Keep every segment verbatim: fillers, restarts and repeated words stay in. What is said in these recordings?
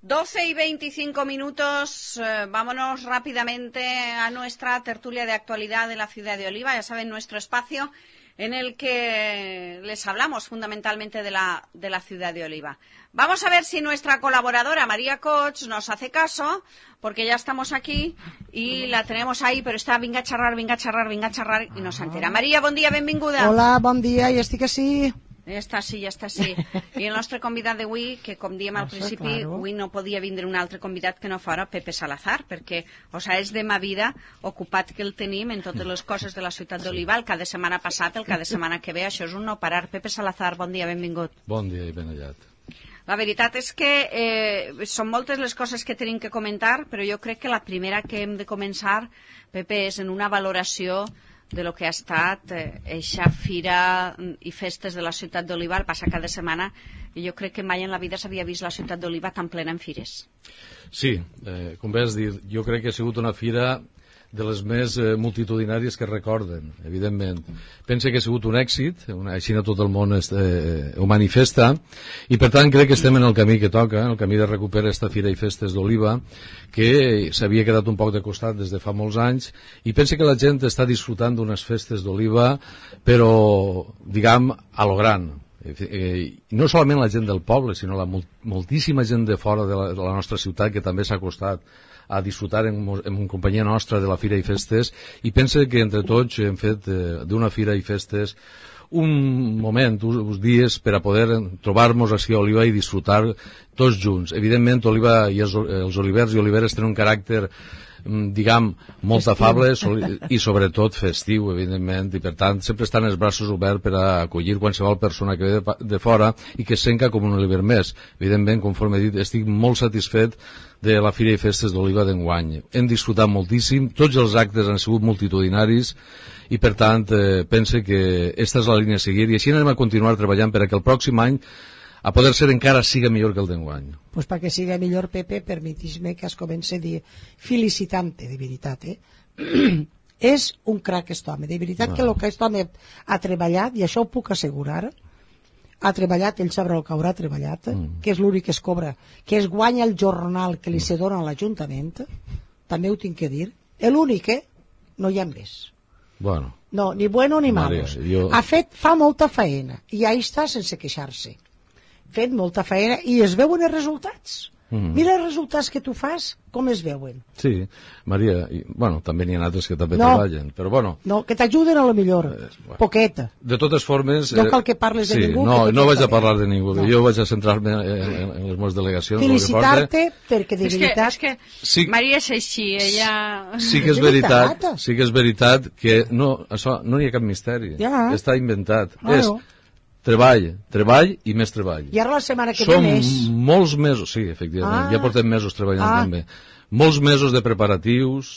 doce y veinticinco minutos, eh, vámonos rápidamente a nuestra tertulia de actualidad de la ciudad de Oliva. Ya saben, nuestro espacio en el que les hablamos fundamentalmente de la, de la ciudad de Oliva. Vamos a ver si nuestra colaboradora María Coch nos hace caso, porque ya estamos aquí y la tenemos ahí, pero está vinga a xerrar, vinga a xerrar, vinga a xerrar i no s'entera. Maria, bon dia, benvinguda. Hola, bon dia, i estic així. Ja està sí, ja està sí. I el nostre convidat d'avui, que com diem al principi, avui no podia vindre un altre convidat que no fora Pepe Salazar, perquè, o sea, és de ma vida ocupat que el tenim en totes les coses de la ciutat d'Oliva, el cada setmana passat, el cada setmana que ve, això és un no parar. Pepe Salazar, bon dia, benvingut. Bon dia i ben hallat. La veritat és que eh, són moltes les coses que tenim que comentar, però jo crec que la primera que hem de començar, Pepe, és en una valoració de lo que ha estat eixa eh, fira i festes de la ciutat d'Oliva el passat cada setmana, i jo crec que mai en la vida s'havia vist la ciutat d'Oliva tan plena en fires. Sí, eh, com vas dir, jo crec que ha sigut una fira de les més eh, multitudinàries que recorden, evidentment. Pense que ha sigut un èxit, una, així no tot el món es, eh, ho manifesta, i per tant crec que estem en el camí que toca, en el camí de recuperar esta fira i festes d'Oliva, que s'havia quedat un poc de costat des de fa molts anys, i pense que la gent està disfrutant d'unes festes d'Oliva, però, diguem, a lo gran. Eh, no solament la gent del poble, sinó la moltíssima gent de fora de la, de la nostra ciutat que també s'ha acostat a disfrutar en, en companyia nostra de la Fira i Festes, i pense que entre tots hem fet eh, d'una Fira i Festes un moment, uns dies per a poder trobar-nos així a Oliva i disfrutar tots junts. Evidentment, Oliva i els, els olivers i oliveres tenen un caràcter, diguem, molt afable i sobretot festiu, evidentment, i per tant sempre estan els braços oberts per a acollir qualsevol persona que ve de, de fora i que es senta com un oliver més. Evidentment, conforme he dit, estic molt satisfet de la Fira i Festes d'Oliva d'enguany. Hem disfrutat moltíssim, tots els actes han sigut multitudinaris i per tant eh, pense que aquesta és la línia a seguir i així anem a continuar treballant per a que el pròxim any a poder ser encara siga millor que el d'enguany. Pues perquè siga millor, Pepe, permetis-me que es comenci a dir felicitant-te, de veritat, eh? És un crac aquest home, de veritat, no. Que el que aquest home ha treballat, i això ho puc assegurar, ha treballat, ell sabrà el que haurà treballat, mm. que és l'únic que es cobra, que es guanya el jornal que li se dona a l'Ajuntament, també ho tinc que dir, l'únic, eh? No hi ha més. Bueno. No, ni bueno ni Maria, malos. jo... Ha fet, fa molta feina, i ahí està sense queixar-se. Fet molta feina i es veuen els resultats. Mm. Mira els resultats que tu fas, com es veuen. Sí, Maria, i, bueno, també n'hi ha altres que també no, treballen, però bueno... No, que t'ajuden a lo millor, eh, bueno, poqueta. De totes formes... No cal que parles sí, de ningú. No, no vaig a parlar de ningú, no. Jo vaig a centrar-me en, en, en les meves delegacions. Felicitar-te, perquè de és veritat... Que, és que sí, Maria és així, ella... Sí que és veritat, sí que és veritat que no, això, no hi ha cap misteri. Ja. Està inventat. Ah, és... no. Treball, treball i més treball. I ara la setmana que Som ve més. molts mesos, sí, efectivament, ah. ja portem mesos treballant ah. també. Molts mesos de preparatius,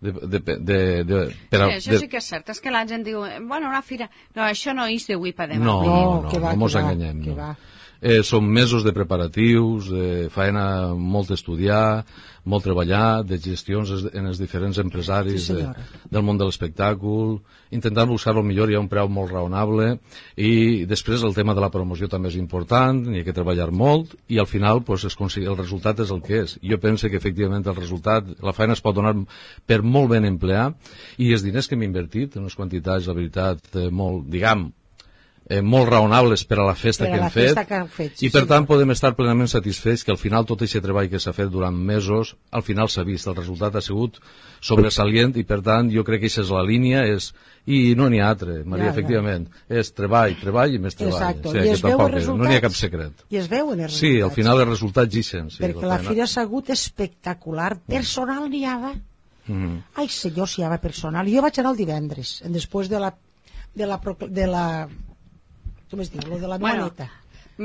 de, de, de, de, per a, sí, això de... sí que és cert, és que la gent diu, bueno, una fira... No, això no és d'avui per demà. No, no, no, que va, no mos que enganyem. Va, que no. va. Eh, són mesos de preparatius, de feina molt estudiar, molt treballar, de gestions en els diferents empresaris sí, de, del món de l'espectacle, intentant buscar el millor i a un preu molt raonable, i després el tema de la promoció també és important, n'hi ha que treballar molt, i al final pues, es el resultat és el que és. Jo penso que efectivament el resultat, la feina es pot donar per molt ben emplear, i els diners que hem invertit, unes quantitats, la veritat, eh, molt, diguem, Eh, molt raonables per a la festa, que hem, fet, que hem fet sí, i per sí. tant podem estar plenament satisfets que al final tot aquest treball que s'ha fet durant mesos al final s'ha vist, el resultat ha sigut sobresalient i per tant jo crec que aquesta és la línia és, i no n'hi ha altre, Maria, ja, efectivament ja. És treball, treball i més treball. Exacto. Sí, I es veuen resultats, no n'hi ha cap secret. I es veuen els resultats. Sí, al final els resultats ixen. Sí, perquè la, la fira s'ha hagut espectacular, personal n'hi havia. Mm. Ai senyor, si hi havia personal. Jo vaig anar el divendres, després de la de la, de la com es diu, lo de la bueno, maneta.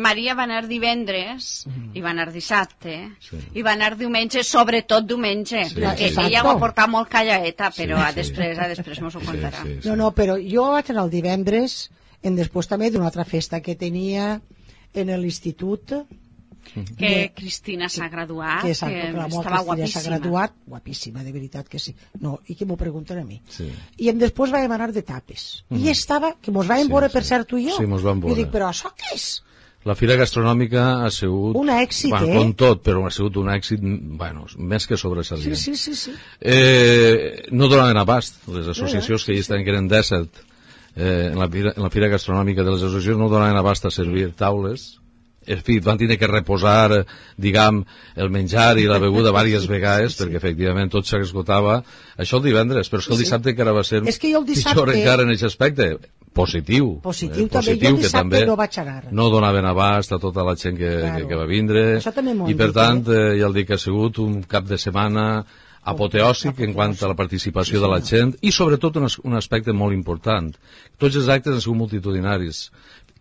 Maria va anar divendres, mm-hmm. i va anar dissabte, sí. i va anar diumenge, sobretot diumenge, sí, perquè sí. ella ho ha portat molt callaeta, però sí, a sí. després, a després mos ho contarà. Sí, sí, sí. No, no, però jo vaig anar el divendres, en després també d'una altra festa que tenia en l'institut, que de, Cristina s'ha graduat, que, que estava guapíssima. S'ha graduat, guapíssima, de veritat que sí. No, i que m'ho pregunten a mi. Sí. I em després vam anar de tapes. Mm. I estava, que mos vam sí, veure, sí. per cert, tu i jo. Sí, mos vam veure. I dic, però això què és? La Fira Gastronòmica ha sigut... Un èxit, bueno, eh? Com tot, però ha sigut un èxit, bueno, més que sobresalient. Sí, sí, sí, sí. Eh, no donaven abast, les associacions que hi estaven, que eren dèsset, eh, en, la fira, en la Fira Gastronòmica de les associacions no donaven abast a servir taules. En fi, van tenir que reposar, diguem, el menjar i la beguda diverses vegades, sí, perquè efectivament tot s'esgotava. Això el divendres, però és que el dissabte encara va ser és que jo el dissabte... pitjor encara en aquest aspecte. Positiu. Positiu, eh, també. positiu, Jo el que dissabte també no vaig anar. no donaven abast a tota la gent que, Claro. que, que va vindre. Això també m'ho han I per dit, tant, eh? eh, ja el dic que ha sigut un cap de setmana apoteòsic en quant a la participació Sí, de la senyor. gent i sobretot un, as- un aspecte molt important. Tots els actes han sigut multitudinaris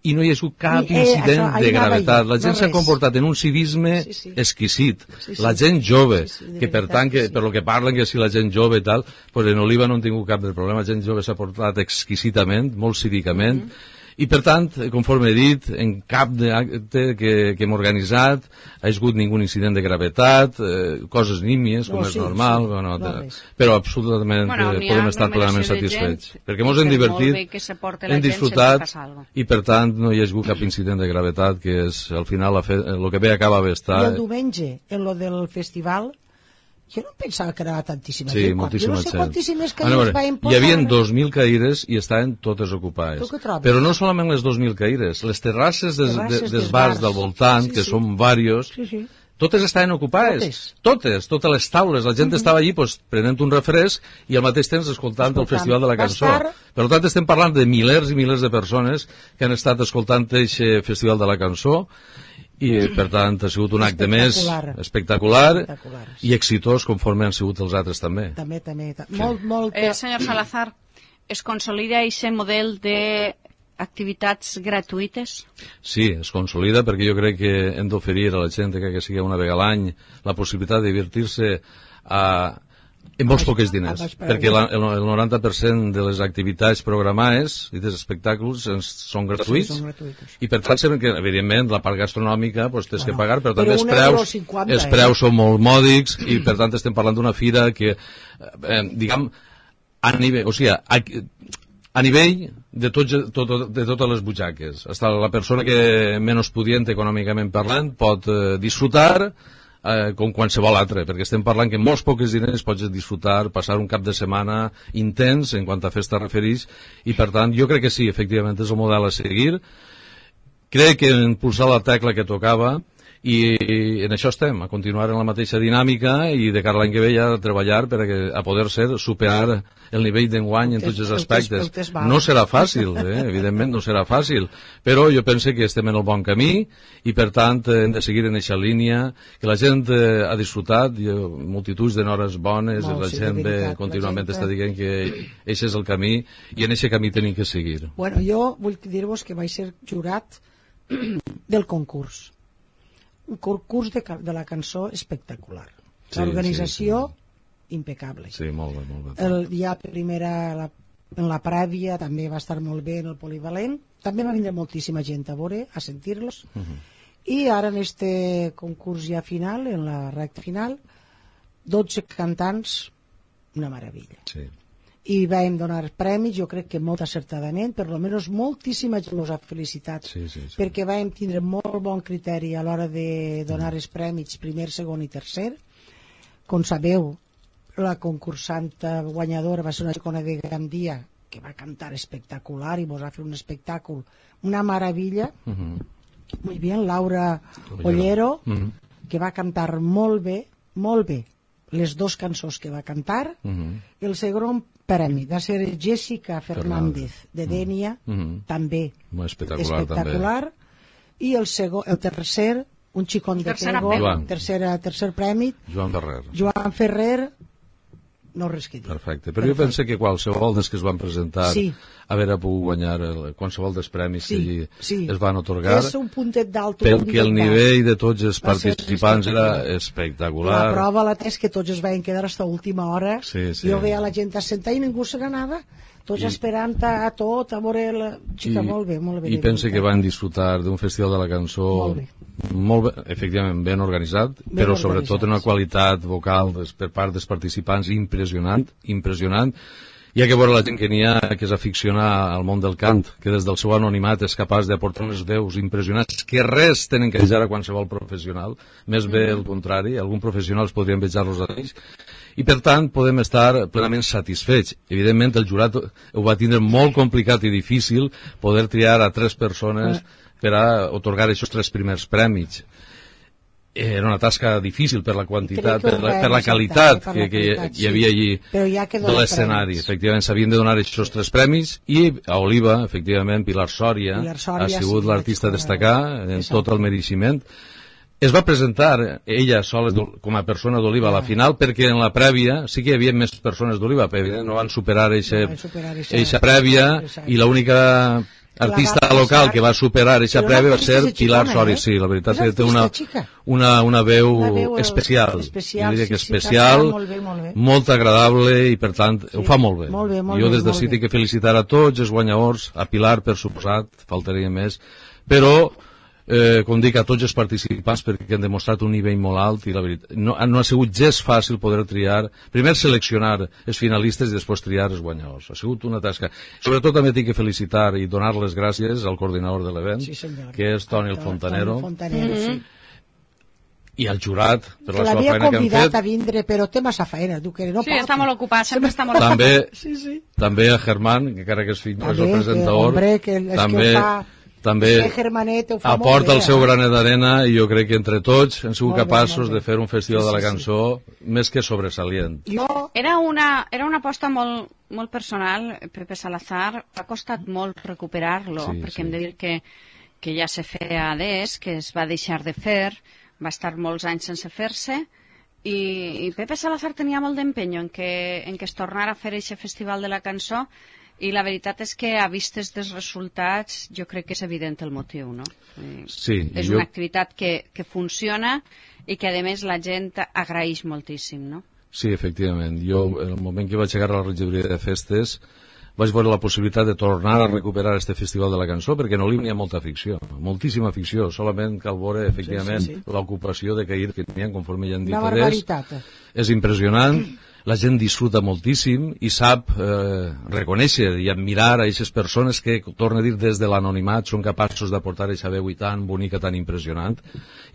i no hi ha hagut cap I, eh, incident això, ahí de anava gravetat. jo, La gent no s'ha res. comportat en un civisme Sí, sí. exquisit. Sí, sí. La gent jove, Sí, sí, de que per veritat tant, que que, sí. per lo que parlen, que si la gent jove i tal, pues en Oliva no han tingut cap de problema. La gent jove s'ha portat exquisitament, molt cívicament, Mm-hmm. i per tant, conforme he dit, en cap d'acte que, que hem organitzat ha hagut ningú incident de gravetat, eh, coses nímies, com No, és sí, normal, sí, bueno, no de, res. però absolutament Bueno, eh, n'hi ha podem estar plenament aglomeració de satisfets. gent, Perquè ens i hem per molt divertit, bé que se porte la hem gent, disfrutat, sempre passa alguna cosa. i per tant no hi ha hagut cap incident de gravetat, que és, al final, la fe, el que bé acaba bé I estar... el diumenge, en lo del festival, jo no pensava que era tantíssima Sí, gent. moltíssima jo no sé gent. quantíssimes Ah, no, caires veure, van hi posar. havia dos mil caires i estaven totes ocupades. Tu què trobes? Però no solament les dos mil caires, les terrasses des, Terrasses de, dels dels bars bars. del voltant, Sí, que sí. són varios, Sí, sí. totes estaven ocupades. Totes. Totes, totes les taules. La gent estava allí pues, prenent un refresc i al mateix temps escoltant, Escoltant. el Festival de la Va Cançó. estar- Per tant, estem parlant de milers i milers de persones que han estat escoltant aquest Festival de la Cançó i, per tant, ha sigut un acte més Espectacular. espectacular, Espectacular, sí. i exitós conforme han sigut els altres també. També, també. ta- Molt, molt... Eh, senyor Salazar, es consolida aquest model de activitats gratuïtes? Sí, es consolida perquè jo crec que hem d'oferir a la gent que, que sigui una vegada a l'any la possibilitat de divertir-se a, en molts baix- poques a diners, baix preu. perquè la, el, el noranta per cent de les activitats programades i dels espectacles ens, són gratuïts, Sí, són gratuïts. i per tant sabem que, evidentment, la part gastronòmica pues, tens Bueno, que pagar, però però també els un preus, euro cinquanta, els eh? preus són molt mòdics i per tant estem parlant d'una fira que, eh, diguem, a nivell, o sigui, a, a nivell de, tots, tot, de totes les butxaques. Hasta la persona que menys pudient econòmicament parlant pot eh, disfrutar eh, com qualsevol altre, perquè estem parlant que en molts pocs diners pots disfrutar, passar un cap de setmana intens en quant a festa refereix, i per tant jo crec que sí, efectivament és el model a seguir. Crec que hem impulsat la tecla que tocava i en això estem, a continuar en la mateixa dinàmica i de cara a l'any que ve ja a treballar per a, que, a poder ser superar el nivell d'enguany en tots els aspectes. No serà fàcil, eh? Evidentment no serà fàcil, però jo penso que estem en el bon camí i per tant hem de seguir en aquesta línia, que la gent eh, ha disfrutat, i, eh, multituds de hores bones, Molt, la sí, gent de ve veritat, contínuament la gent està dient que aquest és el camí i en aquest camí tenim que seguir. Bueno, jo vull dir-vos que vaig ser jurat del concurs. Un concurs de, ca- de la cançó espectacular. Sí, L'organització, sí, impecable. Sí, molt bé, molt bé. El dia primera, la, en la prèvia, també va estar molt bé en el polivalent. També va vindre moltíssima gent a veure, a sentir-los. Uh -huh. I ara en este concurs ja final, en la recta final, dotze cantants, una meravella. Sí. I vam donar premis, jo crec que molt acertadament, per almenys moltíssima gent us ha felicitat, Sí, sí, sí. perquè vam tindre molt bon criteri a l'hora de donar els premis primer, segon i tercer. Com sabeu, la concursanta guanyadora va ser una xicona de Gandia que va cantar espectacular i mos va fer un espectacle, una meravella. Uh -huh. Muy bien, Laura Ollero. Ollero, Uh -huh. que va cantar molt bé, molt bé, les dues cançons que va cantar. Uh -huh. El segon premi va ser Jessica Fernández, de Dènia, Uh -huh. també Molt espectacular, espectacular. I el, segon, el tercer, un xicón de Tercera Pego, Joan. tercera, tercer premi, també. Joan Ferrer. Joan Ferrer, no res que dir. Perfecte. Però jo penso que qualsevol dels que es van presentar Sí. haver pogut guanyar el, qualsevol dels premis Sí, que allí sí. es van otorgar, És un puntet d'alt. perquè el nivell de tots els Va ser participants era espectacular. espectacular. La prova la és que tots es van quedar fins a última hora. Sí, sí. Jo veia la gent assentada i ningú se n'anava. Tots I- esperant a, a tot, a veure la... Xica, molt bé, molt bé. I de penso que veritat. van disfrutar d'un festival de la cançó Molt bé. molt bé, efectivament ben organitzat, Ben però sobretot organitzat, en una sí. qualitat vocal des, per part dels participants impressionant, impressionant. Hi ha que veure la gent que n'hi ha que és aficionar al món del cant, que des del seu anonimat és capaç d'aportar unes veus impressionants que res tenen que vejar a qualsevol professional, més bé el contrari, alguns professionals podrien vejar-los a ells, i per tant podem estar plenament satisfets. Evidentment el jurat ho va tindre molt complicat i difícil poder triar a tres persones per a otorgar aquests tres primers prèmits. Era una tasca difícil per la quantitat, per la, per la qualitat per la que, qualitat, que hi havia allí ja de l'escenari. Efectivament, s'havien de donar aquests tres premis i a Oliva, efectivament, Pilar Sòria, Pilar Sòria ha sigut sí, l'artista a destacar en exacte. Tot el mereixement. Es va presentar ella sola com a persona d'Oliva a la final perquè en la prèvia sí que hi havia més persones d'Oliva, però evidentment no van superar aquesta prèvia i l'única artista local que va superar aquesta prèvia va ser Pilar Sòria. Sí, la veritat és que té una, una, una veu especial. Jo diria que especial, molt agradable i per tant ho fa molt bé. Jo des d'ací tinc que felicitar a tots els guanyadors, a Pilar per suposat, faltaria més, però Eh, com dic, a tots els participants perquè han demostrat un nivell molt alt i la veritat, no, no ha sigut gens fàcil poder triar, primer seleccionar els finalistes i després triar els guanyadors. Ha sigut una tasca. Sobretot també tinc que felicitar i donar les gràcies al coordinador de l'event, sí, que és Toni el Fontanero, Fontanero mm-hmm. sí. i al jurat per que la seva feina que han fet. L'havia convidat a vindre, però té massa feina, tu que no sí, pot. està molt ocupat, sempre està molt també, ocupat. sí, sí. També a Germán, que encara que és fill, és el presentador, hombre, que és també... Que fa... també aporta el seu granet d'arena i jo crec que entre tots hem sigut capaços de fer un festival de la cançó més que sobresalient. Era una, era una aposta molt, molt personal, Pepe Salazar. Ha costat molt recuperar-lo, sí, perquè sí. Hem de dir que, que ja se feia des, que es va deixar de fer, va estar molts anys sense fer-se, i, i Pepe Salazar tenia molt d'empenyo en, que, en que es tornara a fer aquest festival de la cançó. I la veritat és que a vistes dels resultats jo crec que és evident el motiu, no? Sí. És una activitat que, que funciona i que a més la gent agraeix moltíssim, no? Sí, efectivament. Jo, en el moment que vaig llegar a la regidoria de festes, vaig veure la possibilitat de tornar a recuperar este festival de la cançó, perquè en Oliva n'hi ha molta ficció, moltíssima ficció, solament cal veure, efectivament, sí, sí, sí. l'ocupació de cair que n'hi ha, conforme hi ha dit. Una barbaritat. És impressionant. La gent disfruta moltíssim i sap eh, reconèixer i admirar a aquestes persones que, torno a dir, des de l'anonimat són capaços d'aportar aquesta veu tan bonica, tan impressionant,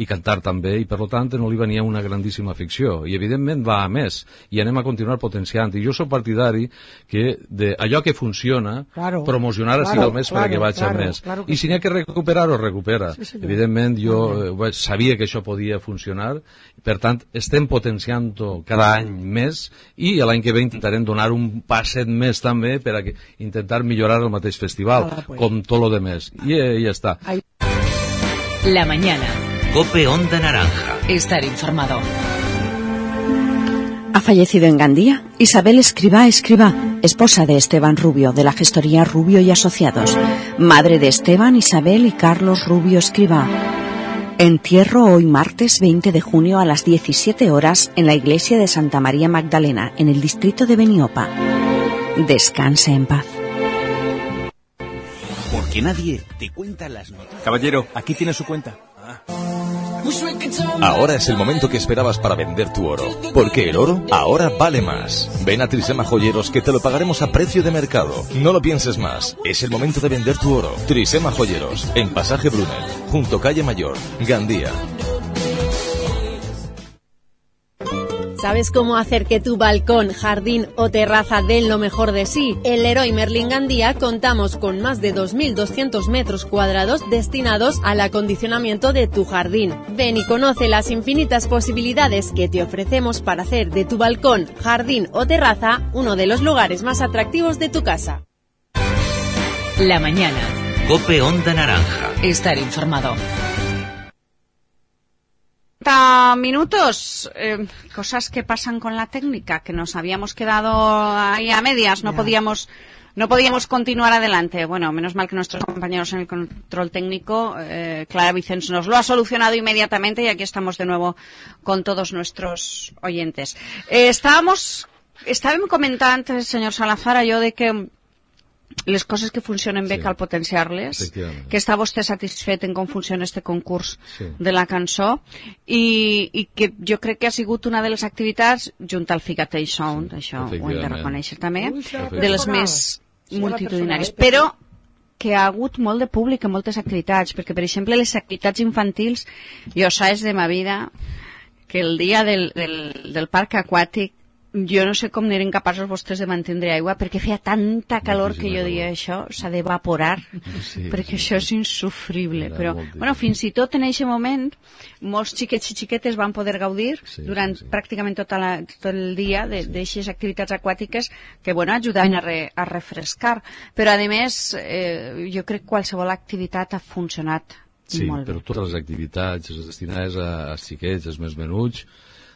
i cantar també, i per tant en Oliva n'hi ha una grandíssima ficció, i evidentment va a més, i anem a continuar potenciant, i jo soc partidari que de allò que funciona, claro, promocionar claro, el més claro, perquè vaig claro, a més, claro i si n'hi ha que recuperar-ho, recupera. Sí, evidentment jo eh, sabia que això podia funcionar, per tant estem potenciant-ho cada any més, i l'any que ve intentarem donar un passet més també per a que, intentar millorar el mateix festival, ah, pues. Com tot lo demás. I eh, ja està. La mañana. Cope Onda Naranja. Estar informado. Ha fallecido en Gandía Isabel Escribá Escribá, esposa de Esteban Rubio, de la gestoría Rubio y Asociados, madre de Esteban, Isabel y Carlos Rubio Escribá. Entierro hoy martes veinte de junio a las diecisiete horas en la iglesia de Santa María Magdalena, en el distrito de Beniopa. Descanse en paz. Porque nadie te cuenta las noticias. Caballero, aquí tiene su cuenta. Ah. Ahora es el momento que esperabas para vender tu oro, porque el oro ahora vale más. Ven a Trisema Joyeros que te lo pagaremos a precio de mercado. No lo pienses más, es el momento de vender tu oro. Trisema Joyeros, en Pasaje Brunel, junto Calle Mayor, Gandía. ¿Sabes cómo hacer que tu balcón, jardín o terraza den lo mejor de sí? En Leroy Merlin Gandía contamos con más de dos mil doscientos metros cuadrados destinados al acondicionamiento de tu jardín. Ven y conoce las infinitas posibilidades que te ofrecemos para hacer de tu balcón, jardín o terraza uno de los lugares más atractivos de tu casa. La mañana. Cope Onda Naranja. Estar informado. Minutos, eh, cosas que pasan con la técnica, que nos habíamos quedado ahí a medias, no podíamos no podíamos continuar adelante. Bueno, menos mal que nuestros compañeros en el control técnico, eh, Clara Vicens, nos lo ha solucionado inmediatamente y aquí estamos de nuevo con todos nuestros oyentes. Eh, estábamos, estábamos comentando, señor Salazar, yo de que les coses que funcionen bé sí. cal potenciar-les, que està vostè satisfet en com funciona este concurs sí. de la cançó i, i que jo crec que ha sigut una de les activitats, junt al Figatell Sound, sí, això ho hem de reconèixer també, de les més multitudinàries, però que ha hagut molt de públic en moltes activitats, perquè per exemple les activitats infantils, jo saps de ma vida que el dia del, del, del parc aquàtic jo no sé com n'eren capaços vostès de mantindre aigua perquè feia tanta calor que jo diria això s'ha d'evaporar sí, perquè sí, això és insufrible però bueno, fins i tot en aquest moment molts xiquets i xiquetes van poder gaudir sí, durant sí. pràcticament tota la, tot el dia d'aixes sí. activitats aquàtiques que bueno, ajudaven a, re, a refrescar però a més eh, jo crec que qualsevol activitat ha funcionat sí, molt bé. Però totes les activitats destinades a, a xiquets, als més menuts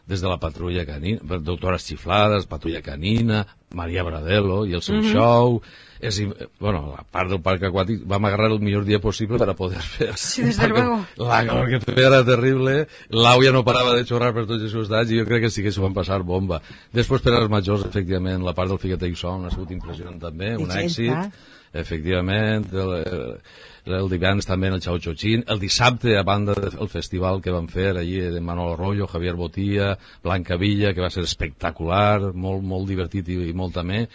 des de la patrulla canina, doctores xiflades, patrulla canina, Maria Bradello i el seu mm-hmm. show, és, bueno, a part del parc aquàtic vam agarrar el millor dia possible per a poder fer sí, desde luego. La calor que feia era terrible, l'àuia no parava de xorrar per tots els costats i jo crec que sí que s'ho van passar bomba. Després per als majors, efectivament, la part del Figatell Sound ha sigut impressionant també, un èxit, efectivament, el, el, el divendres també el Chao Chochín, el dissabte a banda del festival que van fer allí de Manolo Arroyo, Javier Botilla, Blanca Villa, que va ser espectacular, molt, molt divertit i, i molt també.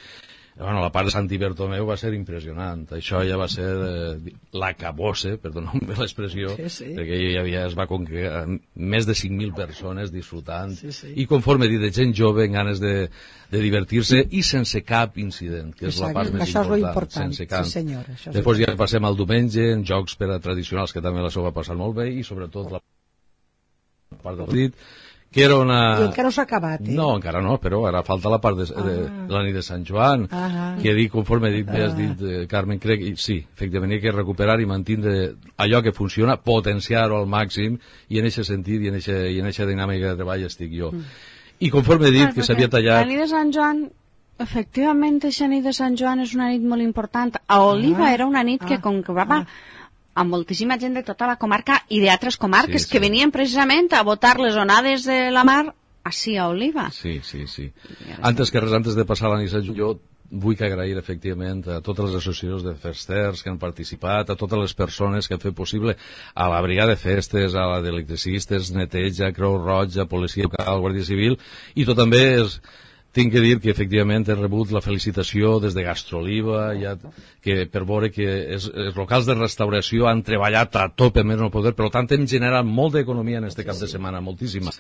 Bueno, la part de Santi Bertomeu va ser impressionant. Això ja va ser eh, l'acabose, perdoneu-me l'expressió, sí, sí. perquè hi havia, es va congregar més de cinc mil persones disfrutant sí, sí. i conforme he dit, de gent jove en ganes de, de divertir-se i sense cap incident, que és Exacte. La part més això important. És important. Sense cap. Sí, senyor, això Després ja passem al diumenge, en jocs per a tradicionals, que també la seu va passar molt bé, i sobretot la part del dit, que era una... I encara no s'ha acabat, eh? No, encara no, però ara falta la part de, ah. de, de la nit de Sant Joan, ah. que dic, conforme he dit, ah. has dit, eh, Carmen, crec, i, sí, efectivament, hi ha que recuperar i mantindre allò que funciona, potenciar-ho al màxim, i en aquest sentit i en aquesta dinàmica de treball estic jo. Mm. I conforme he dit ah, que s'havia tallat... La nit de Sant Joan, efectivament, aquesta nit de Sant Joan és una nit molt important. A Oliva ah. era una nit que ah. concrevava... Ah. amb moltíssima gent de tota la comarca i d'altres comarques sí, sí. que venien precisament a votar les onades de la mar així a Oliva. Sí, sí, sí. Antes que res, antes de passar la nit de jo vull que agrair efectivament a totes les associacions de festers que han participat, a totes les persones que han fet possible, a la brigada de festes, a la d'electricistes, neteja, Creu Roja, policia local, guàrdia civil, i tot també és... Tinc que dir que efectivament he rebut la felicitació des de Gastroliva, ja, que per veure que els, els locals de restauració han treballat a tope més no poder, per tant hem generat molta economia en este cap de setmana, moltíssima.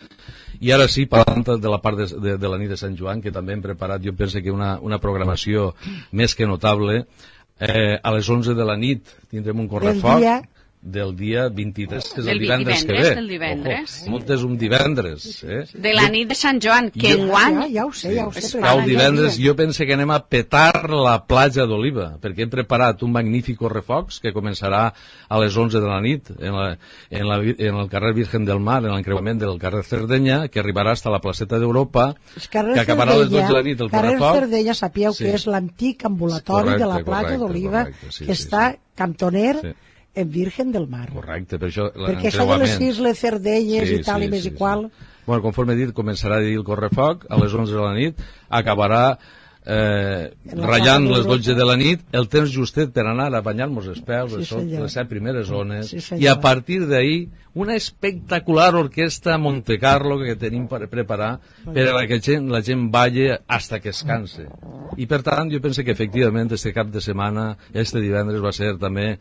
I ara sí, parlant de la part de, de, de la nit de Sant Joan, que també hem preparat, jo penso que una, una programació més que notable, eh, a les onze de la nit tindrem un correfoc del dia vint-i-tres, que és el divendres, divendres que ve. Del divendres. Ojo, no és un divendres. Eh? De la nit de Sant Joan, que enguany... Ja, ja ho sé, ja ho sé. Sí. El divendres jo penso que anem a petar la platja d'Oliva, perquè hem preparat un magnífic correfocs que començarà a les onze de la nit en, la, en, la, en el carrer Virgen del Mar, en l'encreuament del carrer Cerdenya, que arribarà fins a la placeta d'Europa, que acabarà a les dotze de la nit el carrer correfoc. Carrer Cerdenya, sapigueu sí. que és l'antic ambulatori correcte, de la platja d'Oliva, sí, que sí, està sí. cantoner... Sí. en Virgen del Mar. Correcte, per això perquè això de les isles Cerdenyes sí, i tal sí, i més sí, i qual sí. Bueno, conforme he dit, començarà a dir el correfoc a les onze de la nit, acabarà eh, ratllant les dotze de la nit, el temps justet per anar a banyar-nos els peus, sí, són les set primeres zones, sí, i a partir d'ahir una espectacular orquestra Montecarlo que tenim per preparar per a que la gent, la gent balli hasta que es canse. I per tant, jo penso que efectivament este cap de setmana, este divendres va ser també,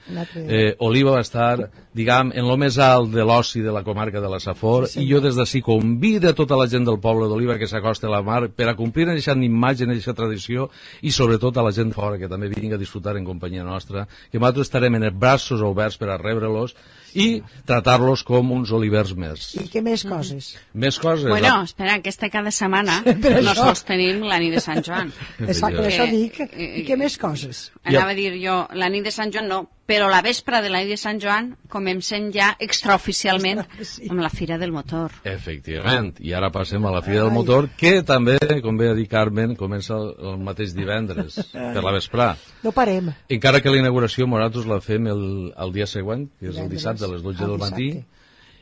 eh, Oliva va estar, diguem, en lo més alt de l'oci de la comarca de la Safor, sí, i jo des d'ací convido a tota la gent del poble d'Oliva que s'acosta a la mar per a complir en aquesta imatge, en aquesta tradició, i sobretot a la gent fora que també vinga a disfrutar en companyia nostra, que nosaltres estarem en els braços oberts per a rebre-los i tratar-los com uns olivers més. I què més coses? Més coses? Bueno, espera, aquesta cada setmana no sols tenim la nit de Sant Joan. Exacte, per això dic. I què més coses? Anava a dir jo, la nit de Sant Joan no, però la vespra de la nit de Sant Joan comencem ja extraoficialment amb la Fira del Motor. Efectivament, i ara passem a la Fira del Motor, que també, com bé ha dit Carmen, comença el, el mateix divendres, per la vesprà. No parem. Encara que la inauguració nosaltres la fem el, el dia següent, que és el dissabte a les dotze del matí,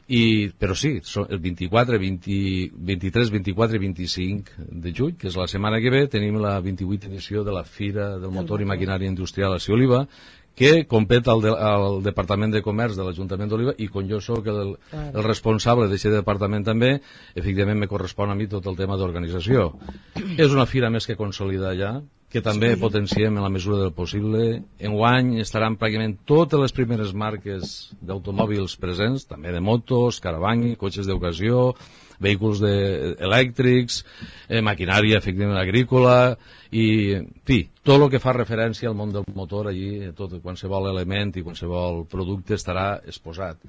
I, però sí, el vint-i-quatre, vint, vint-i-tres, vint-i-quatre i vint-i-cinc de juny, que és la setmana que ve, tenim la vint-i-vuitena edició de la Fira del Motor i Maquinària Industrial a Oliva, que competa al, de, al Departament de Comerç de l'Ajuntament d'Oliva, i com jo sóc el, el responsable d'aquest departament també, efectivament me correspon a mi tot el tema d'organització. És una fira més que consolidada ja, que també sí. potenciem en la mesura del possible. Enguany estaran pràcticament totes les primeres marques d'automòbils presents, també de motos, caravani, cotxes d'ocasió, vehicles de, elèctrics, eh, maquinària efectivament agrícola, i en fi, tot el que fa referència al món del motor allí, tot, qualsevol element i qualsevol producte estarà exposat.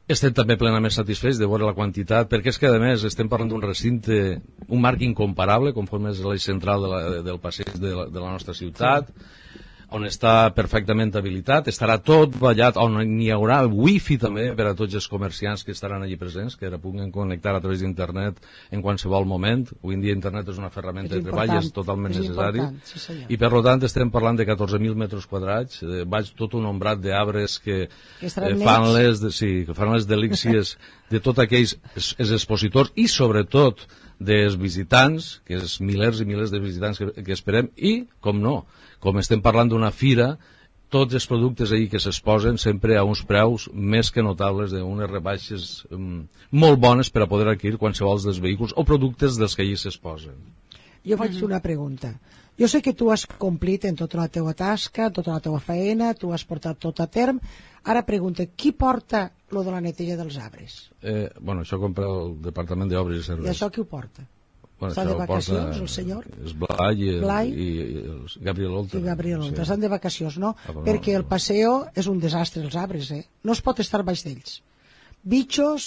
Estem també plenament satisfets de veure la quantitat, perquè és que a més estem parlant d'un recinte, un marc incomparable, conforme és l'eix central de la, del passeig de la, de la nostra ciutat, on està perfectament habilitat, estarà tot ballat, on n'hi haurà wifi també per a tots els comerciants que estaran allí presents, que ara puguen connectar a través d'internet en qualsevol moment. Avui en dia internet és una ferramenta de treball, és totalment necessari, sí, i per tant estem parlant de catorze mil metres quadrats, eh, vaig tot un ombrat d'arbres que, que eh, fan les de, sí, que fan les delícies de tots aquells es, els expositors i sobretot dels visitants, que és milers i milers de visitants que, que esperem, i, com no, com estem parlant d'una fira, tots els productes ahí que s'exposen sempre a uns preus més que notables, d'unes rebaixes um, molt bones per a poder adquirir qualsevol dels vehicles o productes dels que allí s'exposen. Jo faig una pregunta. Jo sé que tu has complit en tota la teua tasca, tota la teua feina, tu has portat tot a terme. Ara pregunta, qui porta lo de la neteja dels arbres? Eh, bueno, això compra el Departament d'Obres i Serveis. I això qui ho porta? Bueno, estan de vacacions, el senyor? És Blai i, el, Blai i, i el Gabriel Oltra. I Gabriel Oltra, sí. Estan de vacacions, no? Ah, perquè el passeo és un desastre, els arbres, eh? No es pot estar baix d'ells. Bitxos,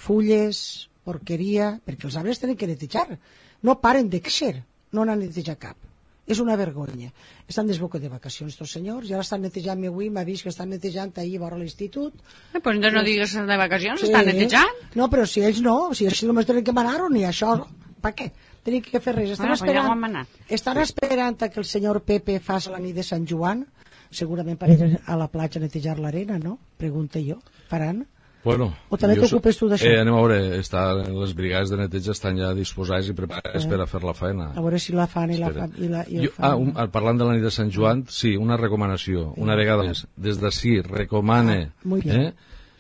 fulles, porqueria, perquè els arbres tenen que netejar. No paren de créixer, no n'han netejat cap. És una vergonya. Estan desboca de vacacions, tots senyors, i ara estan netejant, avui m'ha vist que estan netejant ahir vora l'institut. Eh, pues no, no digues de vacacions, sí. Estan netejant. No, però si ells no, si ells només tenen que manar-ho, ni això, per què? Tenen que fer res. Estan, bueno, esperant, ja estan esperant que el senyor Pepe faci la nit de Sant Joan, segurament per ir a la platja a netejar l'arena, no? Pregunta jo. Faran? Bueno, o també t'ocupes tu d'això? Eh, anem a veure, està, les brigades de neteja estan ja disposades i preparades eh. per a fer la feina. A veure si la fan i Espera. la fan. I la, i jo, fan. Ah, un, parlant de la nit de Sant Joan, sí, una recomanació, una vegada més. Des d'ací recomane ah, eh,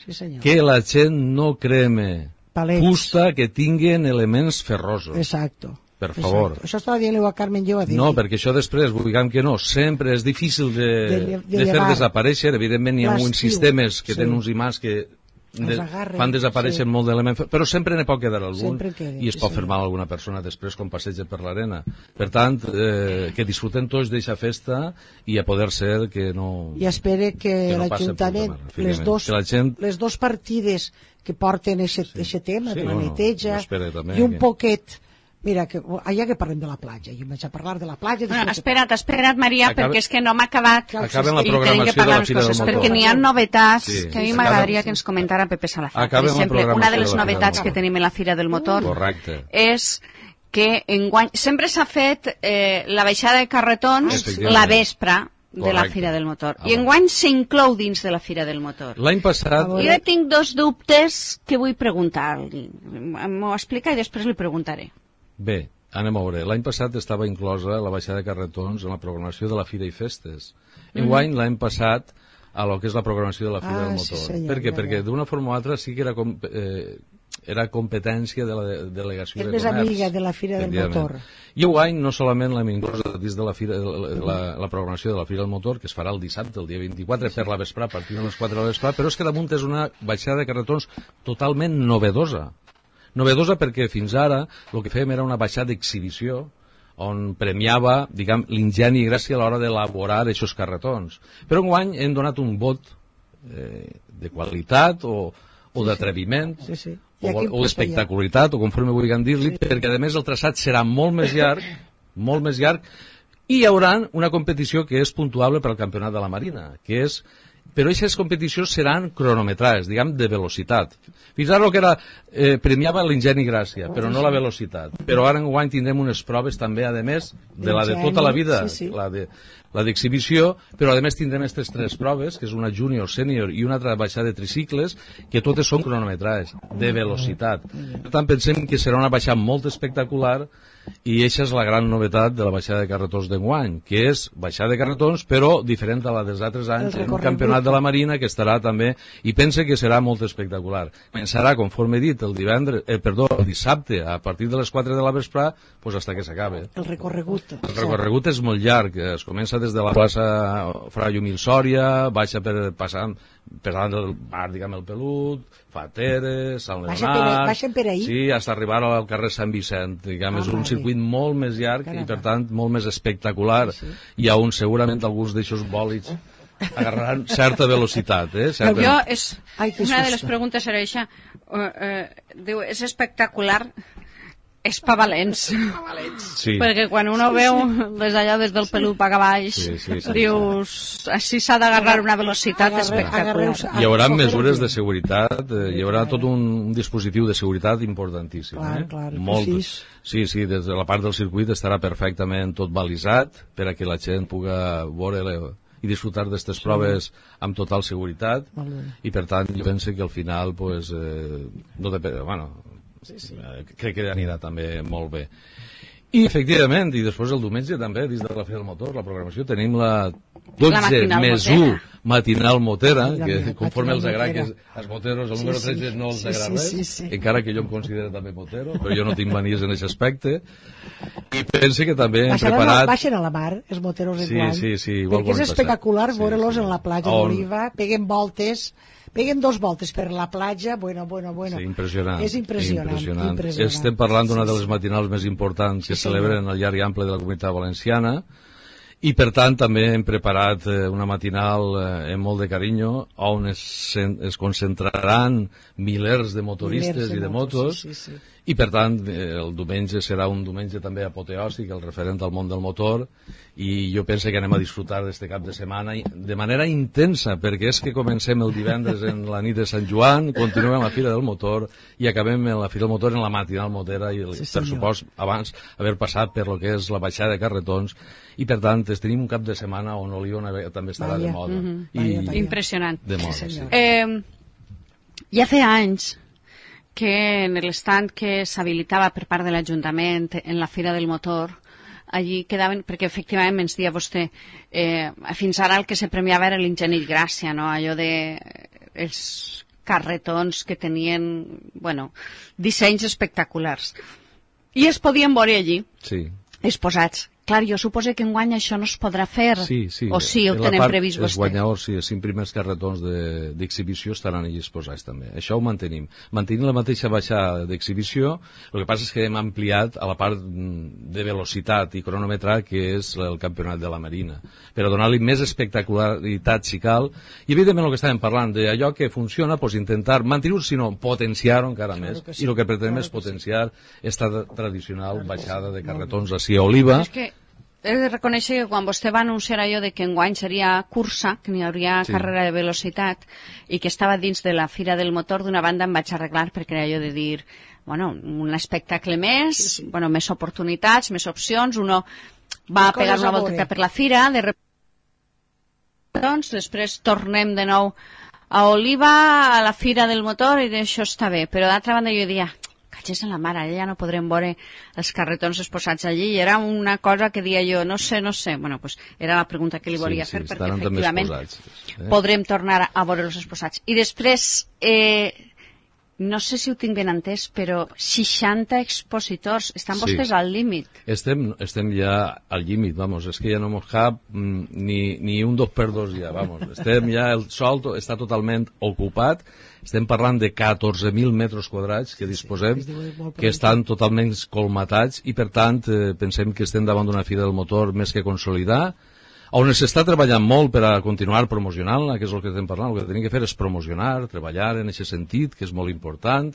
sí, que la gent no creme Palets. fusta que tinguen elements ferrosos. Exacto. Per favor. Exacto. Això estava dient-li a Carmen jo a dir. No, perquè això després, diguem que no, sempre és difícil de, de, de, de fer desaparèixer. Evidentment hi ha uns sistemes que sí. tenen uns imants que de, fan desaparèixer sí. molt d'elements, però sempre n'hi pot quedar algun quedi, i es pot sí, fer mal a alguna persona després quan passeja per l'arena. Per tant, eh, que disfruten tots d'aquesta festa i a poder ser que no... I espere que, que no l'Ajuntament, les, dos, gent... les dos partides que porten aquest sí. tema sí, de la bueno, neteja i un que... poquet... Mira, que, allà que parlem de la platja, jo vaig a parlar de la platja... Bueno, espera't, espera't, Maria, Acabe... perquè és que no m'ha acabat Acaben la programació de la Fira del Motor. Perquè n'hi ha novetats sí. que a mi m'agradaria que ens comentara Pepe Salazar. Per exemple, una de les novetats que tenim en la Fira del Motor Correcte. és que enguany sempre s'ha fet eh, la baixada de carretons la vespre de Correcte. La Fira del Motor. Ah, I enguany s'inclou dins de la Fira del Motor. L'any passat... Jo tinc dos dubtes que vull preguntar-li. M'ho explica i després li preguntaré. Bé, anem a veure. L'any passat estava inclosa la baixada de carretons en la programació de la Fira i Festes. Enguany, mm. l'any passat, a lo que és la programació de la Fira ah, del Motor. Sí, senyor, per què? Ja, Perquè d'una forma o altra sí que era, com, eh, era competència de la de, delegació és de Comerç. És més amiga de la Fira del Motor. I enguany no solament l'hem inclosa dins de la, fira, la, la, la programació de la Fira del Motor, que es farà el dissabte, el dia vint-i-quatre, sí. per la vesprà, a partir de les quatre de la vesprà, però és que damunt és una baixada de carretons totalment novedosa. Novedosa perquè fins ara el que fèiem era una baixada d'exhibició on premiava, diguem, l'ingeni i gràcia a l'hora d'elaborar aquests carretons. Però enguany hem donat un vot eh, de qualitat o, o d'atreviment sí, sí. o, o espectacularitat, o conforme vulguem dir-li, sí. perquè a més el traçat serà molt més llarg, molt més llarg, i hi haurà una competició que és puntuable per al Campionat de la Marina, que és però aquestes competicions seran cronometrades, diguem, de velocitat. Fins ara el que era, eh, premiava l'ingeni gràcia, però no la velocitat. Però ara enguany tindrem unes proves també, a més, de la de tota la vida, sí, sí. la de la d'exhibició, però a més tindrem aquestes tres proves, que és una júnior, sènior i una altra baixada de tricicles, que totes són cronometrades, de velocitat. Per tant, pensem que serà una baixada molt espectacular, i aquesta és la gran novetat de la baixada de carretons d'enguany, que és baixada de carretons, però diferent a la dels altres anys, en un campionat de la Marina que estarà també, i pense que serà molt espectacular. Començarà, conforme he dit, el divendres, eh, perdó, el dissabte, a partir de les quatre de la vesprà, doncs hasta que s'acabe. El recorregut. El recorregut és molt llarg, es comença des de la plaça Fra Llumil Sòria, baixa per passar per davant del bar, diguem, el Pelut, Fateres, Sant Leonard... Baixen per ahir? Sí, fins a arribar al carrer Sant Vicent, diguem, és un circuit molt més llarg i, per tant, molt més espectacular, i on segurament alguns d'aixòs bòlids agarraran certa velocitat, eh? Certa... Jo, és, una de les preguntes era això, uh, uh, diu, és espectacular, és pa valents. Sí. Perquè quan uno sí, veu sí. des d'allà, des del Pelut cap a baix, sí, sí, sí, dius, sí. així s'ha d'agarrar una velocitat Agarre, espectacular. Hi haurà mesures de seguretat, eh, hi haurà tot un, un dispositiu de seguretat importantíssim. Clar, eh? clar, Molt. Sí, sí, des de la part del circuit estarà perfectament tot balisat per a que la gent puga veure i disfrutar d'aquestes sí. proves amb total seguretat, i per tant jo penso que al final pues, eh, no depèn, bueno, sí, sí. crec que anirà també molt bé. I efectivament, i després el diumenge també, dins de la Fira del Motor, la programació, tenim la dotze més u matinal motera, que conforme els agrada que els moteros, el número tretze no els agrada res, encara que jo em considero també motero, però jo no tinc manies en aquest aspecte. I pense que també hem preparat... Baixen a la mar, els moteros en guany, sí, sí, perquè és espectacular veure-los en la platja d'Oliva, peguen voltes... Peguen dos voltes per la platja, bueno, bueno, bueno. Sí, impressionant. És impressionant. impressionant. impressionant. Estem parlant d'una de les matinals més importants que sí, celebren al llarg i ample de la Comunitat Valenciana, i per tant també hem preparat una matinal amb molt de carinyo, on es, es concentraran milers de motoristes milers de i de motos, sí, sí, sí. I per tant el diumenge serà un diumenge també apoteòsic, el referent al món del motor, i jo penso que anem a disfrutar d'este cap de setmana de manera intensa, perquè és que comencem el divendres en la nit de Sant Joan, continuem a la Fira del Motor i acabem en la Fira del Motor en la matinal motera, i sí, per supost abans haver passat per lo que és la baixada de carretons, i per tant tenim un cap de setmana on Oliona també estarà vaya. de moda. Mm-hmm. i, vaya, vaya. Impressionant. De moda, sí, sí. Eh, ja feia anys que en l'estand que s'habilitava per part de l'Ajuntament en la Fira del Motor, allí quedaven, perquè efectivament ens dia vostè, eh, fins ara el que se premiava era l'ingeni gràcia, no? Allò de els carretons que tenien, bueno, dissenys espectaculars. I es podien veure allí, sí. exposats. Clar, jo suposo que enguany això no es podrà fer, sí, sí. o sí, ho tenen previst vostè? Els guanyadors, sí, els cinc primers carretons d'exhibició de, estaran allí exposats també. Això ho mantenim. Mantenim la mateixa baixada d'exhibició, el que passa és que hem ampliat a la part de velocitat i cronòmetre, que és el campionat de la Marina, per a donar-li més espectacularitat si cal, i evidentment el que estàvem parlant d'allò que funciona, doncs intentar mantenir-ho, sinó potenciar-ho encara claro més, sí, i el que pretenem claro és potenciar esta sí. tradicional claro baixada sí. de carretons així a Oliva. És que he de reconèixer que quan vostè va anunciar allò de que enguany seria cursa, que n'hi hauria sí. carrera de velocitat, i que estava dins de la Fira del Motor, d'una banda em vaig arreglar perquè era allò de dir, bueno, un espectacle més, sí, sí. bueno, més oportunitats, més opcions, uno va a pegar una volta per la fira, de rep... doncs, després tornem de nou a Oliva, a la Fira del Motor, i això està bé, però d'altra banda jo diria, catxes en la mare, ja no podrem veure els carretons exposats allí, i era una cosa que dia jo, no sé, no sé, bueno, pues era la pregunta que li volia sí, fer, sí, perquè efectivament posats, eh? podrem tornar a veure-los exposats. I després, eh, no sé si ho tinc ben entès, però seixanta expositors, estan sí. vostès al límit? Estem, estem ja al límit, vamos, és que ja no mos cap mm, ni, ni un dos per dos ja, vamos, estem ja, el sol està totalment ocupat, estem parlant de catorze mil metres quadrats que disposem, que estan totalment colmatats, i per tant eh, pensem que estem davant d'una Fira del Motor més que consolidar, On s'està treballant molt per a continuar promocionant-la, que és el que estem parlant, el que tenim que fer és promocionar, treballar en aquest sentit, que és molt important,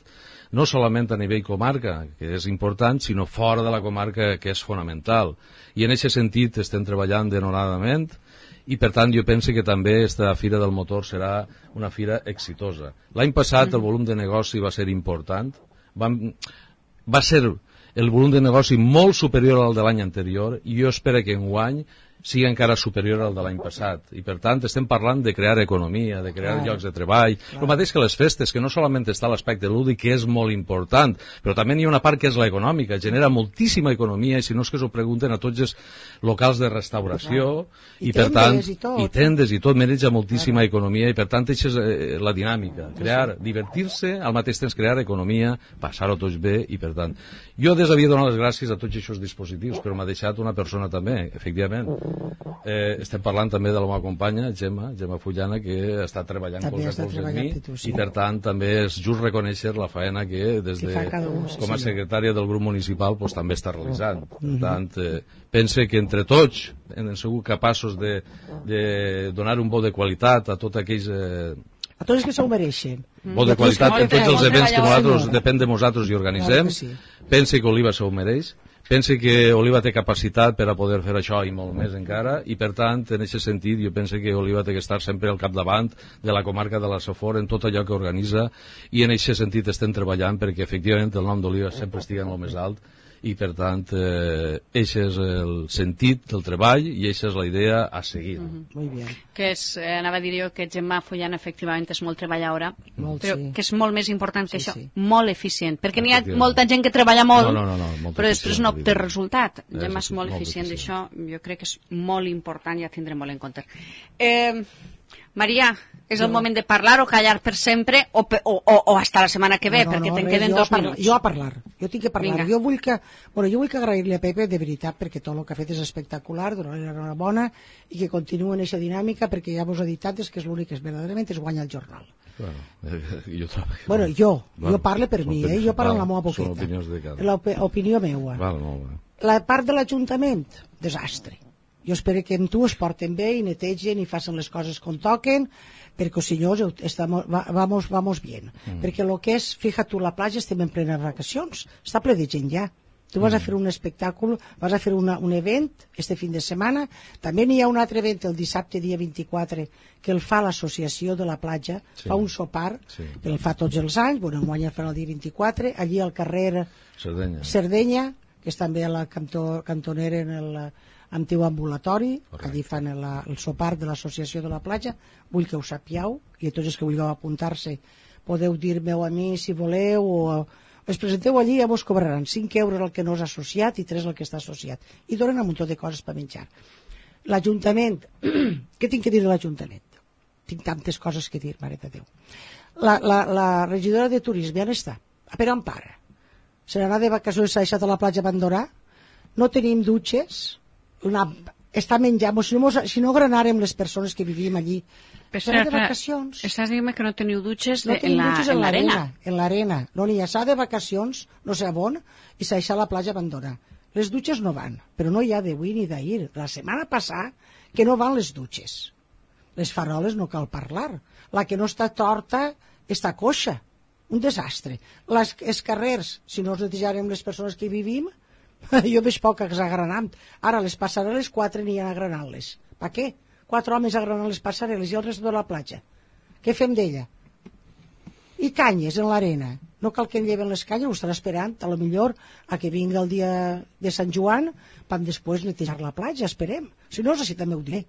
no solament a nivell comarca, que és important, sinó fora de la comarca, que és fonamental. I en aquest sentit estem treballant denodadament, i per tant jo penso que també aquesta Fira del Motor serà una fira exitosa. L'any passat el volum de negoci va ser important, va, va ser el volum de negoci molt superior al de l'any anterior, i jo espero que enguany sigui encara superior al de l'any passat. I per tant estem parlant de crear economia, de crear clar, llocs de treball, clar. El mateix que les festes, que no solament està l'aspecte lúdic, que és molt important, però també hi ha una part que és l'econòmica, genera moltíssima economia, i si no és que s'ho pregunten a tots els locals de restauració, i, i per tant, i, i tendes i tot, maneja moltíssima clar. Economia, i per tant això és eh, la dinàmica, crear, divertir-se, al mateix temps crear economia, passar-ho tots bé, i per tant, jo des havia donat les gràcies a tots aquests dispositius, però m'ha deixat una persona també, efectivament. Eh, estem parlant també de la meva companya Gemma, Gemma Fullana, que està treballant colze a colze amb mi, tu, sí. I per tant també és just reconèixer la faena que des de, un, com a secretària del grup municipal pues, també està realitzant. Per mm -hmm. tant, eh, pense que entre tots hem sigut capaços de, de donar un bo de qualitat a tots aquells eh, a tots els que s'ho mereixen. Bo de qualitat en tots els events que nosaltres, depèn de nosaltres i organitzem. Claro sí. Pense que Oliva s'ho mereix. Penso que Oliva té capacitat per a poder fer això i molt més encara, i per tant, en aquest sentit, jo penso que Oliva té que estar sempre al capdavant de la comarca de la Safor en tot allò que organitza, i en aquest sentit estem treballant perquè efectivament el nom d'Oliva sempre estigui en el més alt, i per tant, eh, aquest és el sentit del treball i aquesta és la idea a seguir. Mm-hmm. Molt bé. Que és, eh, anava a dir jo que Gemma Fullana efectivament és molt treballadora, molt, però sí. que és molt més important que sí, això, sí. molt eficient, perquè n'hi ha molta gent que treballa molt, no, no, no, no, però després no té resultat. Gemma és molt, molt eficient d'això, jo crec que és molt important i ja tindrem molt en compte. Eh, Maria, és el moment de parlar o callar per sempre o, o, o, o hasta la setmana que ve, no, no, perquè no, te'n queden dos parlar, minuts. Jo a parlar, jo tinc que parlar. Jo vull que, bueno, jo vull que agrair-li a Pepe de veritat perquè tot el que ha fet és espectacular, donar-li una bona i que continuï en aquesta dinàmica perquè ja vos he dit és que és l'únic que és verdaderament és guanyar el jornal. Bueno, eh, jo, bueno, jo, bueno, jo parlo per mi, eh? Jo parlo val, amb la meva boqueta. Són opinions de cada. L'opinió meua. Val, molt bé. La part de l'Ajuntament, desastre. Jo espero que amb tu es porten bé i netegen i facin les coses com toquen, perquè si no estamos, vamos, vamos bien. Mm. Perquè el que és, fíjate tu, la platja estem en plenes vacacions, està ple de gent ja. Tu vas mm. a fer un espectacle, vas a fer una, un event este fin de setmana, també n'hi ha un altre event el dissabte dia vint-i-quatre que el fa l'associació de la platja, sí. fa un sopar, sí. que el fa tots els anys, bueno, enguany el fan el dia vint-i-quatre, allí al carrer Sardenya, Sardenya que és també a la cantó, cantonera en el antiu ambulatori, correcte. Allí fan el, el sopar de l'associació de la platja, vull que ho sapieu, i a tots els que vulgueu apuntar-se podeu dir-me-ho a mi si voleu, o us presenteu allí i ja vos cobraran cinc euros el que no és associat i tres el que està associat, i donen un munt de coses per menjar. L'Ajuntament, què tinc que dir de l'Ajuntament? Tinc tantes coses que dir, mare de Déu. La, la, la regidora de turisme on està? A per on para? Se n'anà de vacacions, s'ha deixat a la platja abandonar? No tenim dutxes? Una, està menjant, si no, si no granàrem les persones que vivim allí, s'ha de vacacions. Estàs dient que no teniu dutxes no de, en l'arena? En l'arena, no n'hi ha, s'ha de vacacions, no sé on, i s'ha deixat la platja abandonar. Les dutxes no van, però no hi ha d'avui ni d'ahir. La setmana passada que no van les dutxes. Les faroles no cal parlar. La que no està torta està coixa. Un desastre. Les, els carrers, si no els netejarem les persones que hi vivim, jo veig poc agranant. Ara les passarel·les, quatre n'hi ha agranant-les. Per què? Quatre homes agranant les passarel·les i el rest de la platja. Què fem d'ella? I canyes en l'arena. No cal que en lleven les canyes, ho estan esperant, a lo millor a que vingui el dia de Sant Joan, vam després netejar la platja, esperem. Si no, així també ho diré.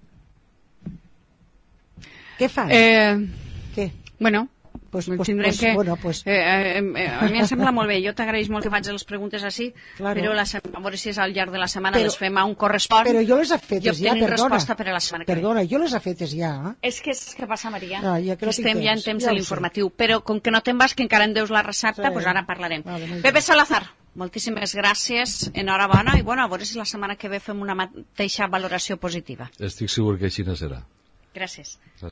Què fan? Eh... Què? Bueno... Pues, pues, pues, que, bueno, pues. eh, eh, eh, a mi em sembla molt bé, jo t'agraeix molt que faig les preguntes així, claro. Però la, a veure si és al llarg de la setmana però, les fem a un correspon però jo les he fetes ja, perdona resposta per a la setmana que perdona, jo les he fetes ja eh? És que és que passa, Maria, no, ja que no estem temps. ja en temps ja de l'informatiu, però com que no te'n vas, que encara en deus la recepta, sí. Pues ara parlarem. Vale, Pepe Salazar, moltíssimes gràcies, enhorabona, i bueno, a veure si la setmana que ve fem una mateixa valoració positiva. Estic segur que així no serà. Gràcies.